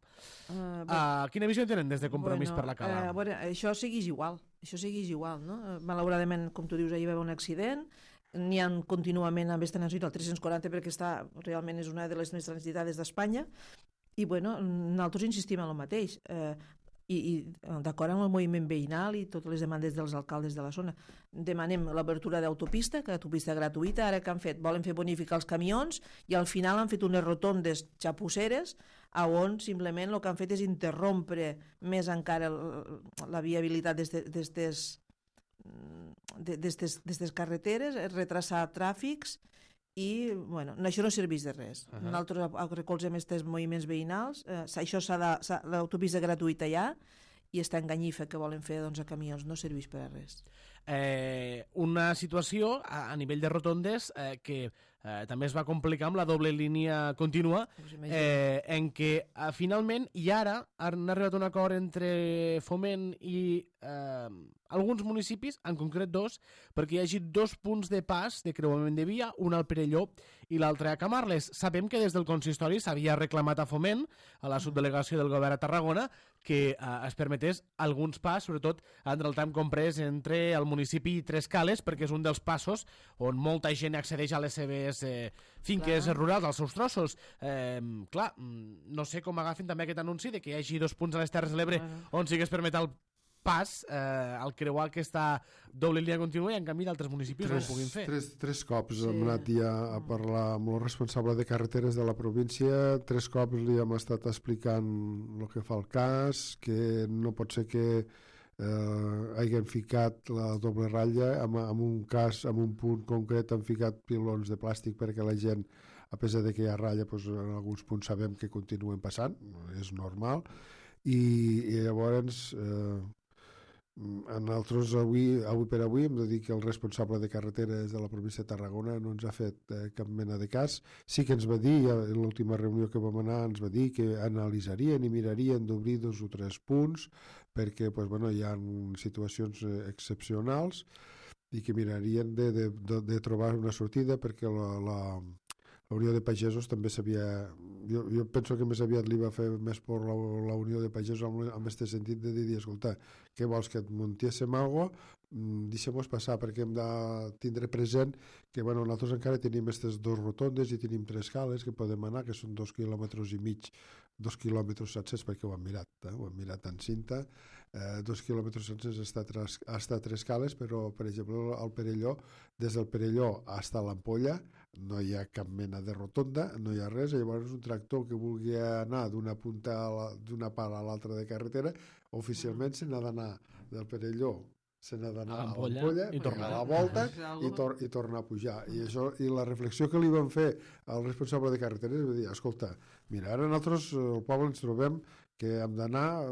Quina visió tenen des de Compromís per la Cala? Això segueix igual, no? Malauradament, com tu dius, ahir va haver un accident, n'hi ha contínuament amb aquesta nació, el 340, perquè realment és una de les més transitades d'Espanya, i nosaltres insistim en el mateix. I d'acord amb el moviment veïnal i totes les demandes dels alcaldes de la zona, demanem l'obertura d'autopista, que autopista gratuïta. Ara que han fet, volen fer bonificar els camions i al final han fet unes rotondes xapusseres on simplement el que han fet és interrompre més encara la viabilitat d'estes carreteres, retrasar tràfics i, això no serveix de res. Nosaltres recolzem aquests moviments veïnals, l'autopista gratuïta ja, i està enganyifa que volen fer a camions, no serveix per a res. Una situació a nivell de rotondes que també es va complicar amb la doble línia contínua, en què finalment i ara han arribat a un acord entre Foment i alguns municipis, en concret 2, perquè hi hagi 2 punts de pas de creuament de via, un al Perelló i l'altre a Camarles. Sabem que des del consistori s'havia reclamat a Foment, a la subdelegació del govern a Tarragona, que es permetés alguns pas, sobretot entre el tram comprès entre el municipi i Tres Cales, perquè és un dels passos on molta gent accedeix a les seves finques rurals, als seus trossos. Clar, no sé com agafen també aquest anunci de que hi hagi 2 punts a les Terres de l'Ebre on sí que es permet el pas al creuar aquesta doble línia contínua i en canvi d'altres municipis no ho puguin fer. Tres cops hem anat ja a parlar amb el responsable de carreteres de la província, 3 cops li hem estat explicant el que fa el cas, que no pot ser que hagin ficat la doble ratlla, en un cas, en un punt concret han ficat pilons de plàstic perquè la gent, a pesar de que hi ha ratlla, doncs en alguns punts sabem que continuen passant, és normal, i llavors nosaltres avui per avui hem de dir que el responsable de carreteres de la província de Tarragona no ens ha fet cap mena de cas. Sí que ens va dir, en l'última reunió que vam anar, ens va dir que analitzarien i mirarien d'obrir 2 o 3 punts perquè hi ha situacions excepcionals i que mirarien de trobar una sortida perquè la Unió de Pagesos també s'havia... Jo penso que més aviat li va fer més por la Unió de Pagesos en aquest sentit de dir, escolta, què vols, que et muntiéssim alguna cosa? Deixem-nos passar, perquè hem de tindre present que nosaltres encara tenim aquestes 2 rotondes i tenim 3 cales que podem anar, que són 2,5 quilòmetres, 2 quilòmetres sencers, perquè ho hem mirat en cinta, 2 quilòmetres sencers hasta 3 cales, però, per exemple, al Perelló, des del Perelló fins a l'Ampolla, no hi ha cap mena de rotonda, no hi ha res, i llavors un tractor que vulgui anar d'una punta d'una part a l'altra de carretera, oficialment se n'ha d'anar del Perelló, se n'ha d'anar a l'Ampolla, i tornar a la volta i tornar a pujar. I la reflexió que li van fer al responsable de carreteres va dir, escolta, mira, ara nosaltres al poble ens trobem que hem d'anar,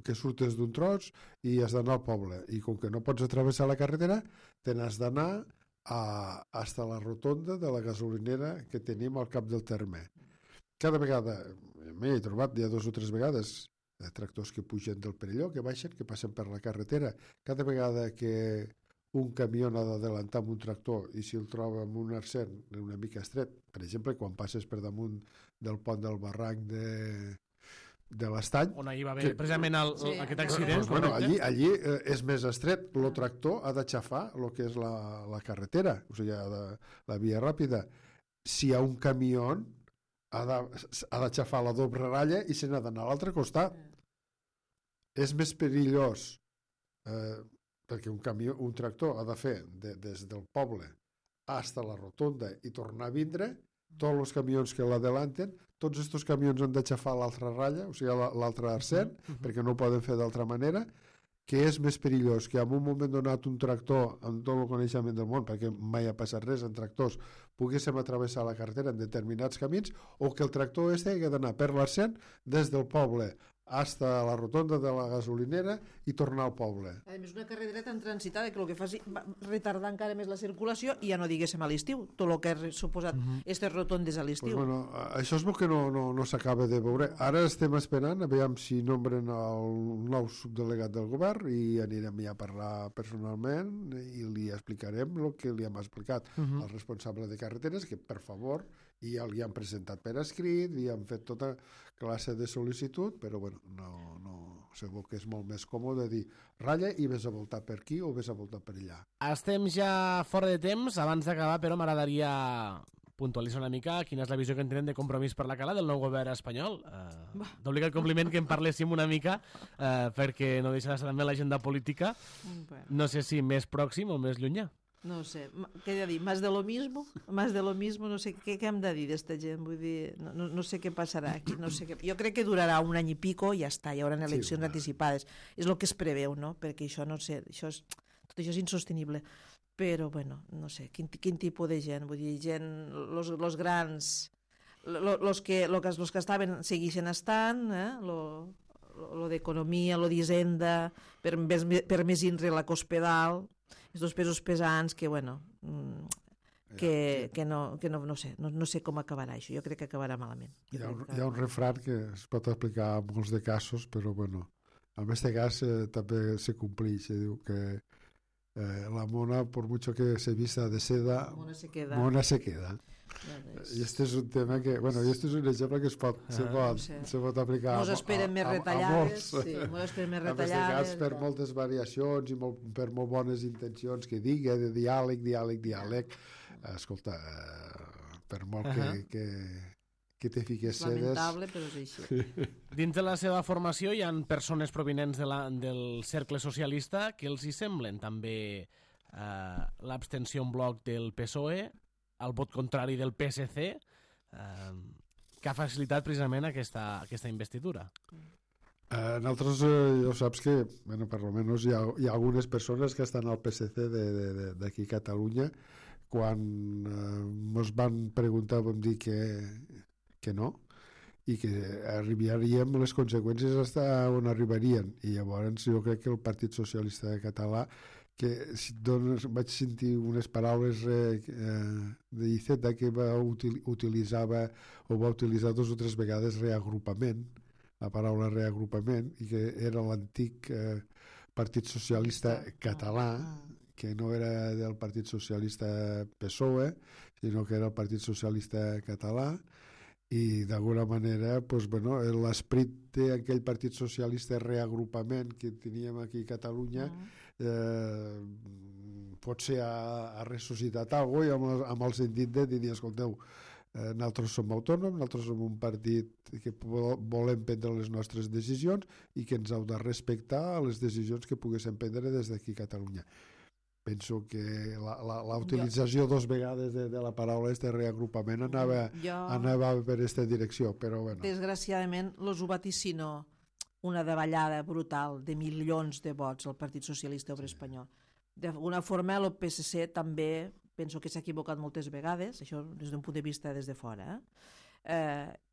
que surtes d'un tros i has d'anar al poble, i com que no pots atravessar la carretera, te n'has d'anar hasta la rotonda de la gasolinera que tenim al cap del terme. Cada vegada, m'he trobat ja 2 o 3 vegades tractors que pugen del Perelló, que baixen, que passen per la carretera. Cada vegada que un camió ha d'adelantar amb un tractor i si el troba amb un arcent una mica estret, per exemple, quan passes per damunt del pont del barranc de l'Estany, on ahir va haver precisament aquest accident. Allí és més estret, el tractor ha d'aixafar el que és la carretera, o sigui, la via ràpida. Si hi ha un camió, ha d'aixafar la doble ratlla i se n'ha d'anar a l'altre costat. És més perillós perquè un tractor ha de fer des del poble fins a la rotonda i tornar a vindre, tots els camions que l'adelanten, tots aquests camions han d'aixafar l'altra ratlla, o sigui, l'altre arcent, perquè no ho poden fer d'altra manera, que és més perillós que en un moment donat un tractor, amb tot el coneixement del món, perquè mai ha passat res en tractors, poguéssim atravessar la carretera en determinats camins, o que el tractor hagi d'anar per l'arcent des del poble fins a la rotonda de la gasolinera i tornar al poble. A més, una carretera tan transitada que el que fa és retardar encara més la circulació i ja no diguéssim a l'estiu, tot el que ha suposat aquestes rotondes a l'estiu. Això és el que no s'acaba de veure. Ara estem esperant, aviam si nombren el nou subdelegat del govern i anirem ja a parlar personalment i li explicarem el que li hem explicat al responsable de carreteres, que per favor, i ja li han presentat per escrit, li han fet tota classe de sol·licitud, però segur que és molt més còmode dir ratlla i vés a voltar per aquí o vés a voltar per allà. Estem ja fora de temps. Abans d'acabar, però, m'agradaria puntualitzar una mica quina és la visió que en tenen de Compromís per la Cala del nou govern espanyol. D'obligat compliment que en parléssim una mica perquè no deixa de ser també l'agenda política. No sé si més pròxim o més llunyà. No sé, què he de dir? Más de lo mismo, no sé què hem de dir d'esta gent, vull dir, no sé què passarà aquí, no sé què. Jo crec que durarà un any i pico i ja està, hi haurà eleccions anticipades. És el que es preveu, no? Perquè això, no sé, tot això és insostenible. Però, bueno, no sé, quin tipus de gent, vull dir, gent, los grans, los que estaven segueixen estant, lo d'economia, lo d'hisenda, per més inre la Cospedal, els dos pesos pesants que, bueno, que no sé, no sé com acabarà això. Jo crec que acabarà malament. Hi ha un refran que es pot aplicar a molts de casos, però, bueno, en aquest cas també se compleix. Diu que la mona, por mucho que se vista de seda, mona se queda. I este és un tema que, bueno, i este és un exemple que se pot aplicar mos esperen més retallades, mos esperen més retallades, per moltes variacions i per molt bones intencions que digui, de diàleg, escolta, per molt que te fiques sedes... Lamentable, però és així. Dins de la seva formació hi ha persones provinents del cercle socialista que els hi semblen també l'abstenció en bloc del PSOE, el vot contrari del PSC, que ha facilitat precisament aquesta investidura. Nosaltres, ja saps que, bueno, per almenys hi ha algunes persones que estan al PSC d'aquí a Catalunya. Quan ens van preguntar vam dir que no, i que arribaríem les conseqüències fins on arribarien. I llavors jo crec que el Partit Socialista Català, que vaig sentir unes paraules d'Iceta que va utilitzar 2 o 3 vegades reagrupament, la paraula reagrupament, i que era l'antic Partit Socialista Català, que no era del Partit Socialista PSOE, sinó que era el Partit Socialista Català, i d'alguna manera l'esperit d'aquell Partit Socialista reagrupament que teníem aquí a Catalunya potser ha ressuscitat alguna cosa, i amb el sentit de dir, escolteu, nosaltres som autònoms, nosaltres som un partit que volem prendre les nostres decisions i que ens heu de respectar les decisions que poguéssim prendre des d'aquí a Catalunya. Penso que la utilització 2 vegades de la paraula de reagrupament anava per aquesta direcció, però bueno. Desgraciadament, els ho vaticino una davallada brutal de milions de vots al Partit Socialista Obrer Espanyol. D'alguna forma, el PSC també penso que s'ha equivocat moltes vegades, això des d'un punt de vista des de fora,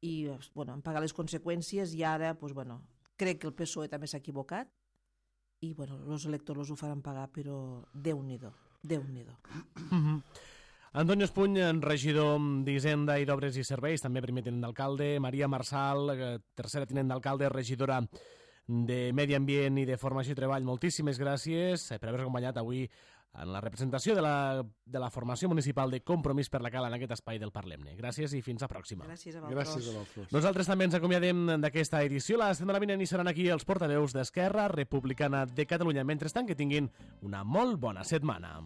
i han pagat les conseqüències, i ara crec que el PSOE també s'ha equivocat, i els electors ho faran pagar, però Déu-n'hi-do. Antonio Espuny, regidor d'Hisenda i d'Obres i Serveis, també primer tinent d'alcalde. Maria Marçal, tercera tinent d'alcalde, regidora de Medi Ambient i de Formació i Treball. Moltíssimes gràcies per haver-nos acompanyat avui en la representació de la formació municipal de Compromís per la Cala en aquest espai del Parlem-ne. Gràcies i fins a pròxima. Gràcies a vosaltres. Nosaltres també ens acomiadem d'aquesta edició. La setmana vinent hi seran aquí els portaveus d'Esquerra Republicana de Catalunya. Mentrestant, que tinguin una molt bona setmana.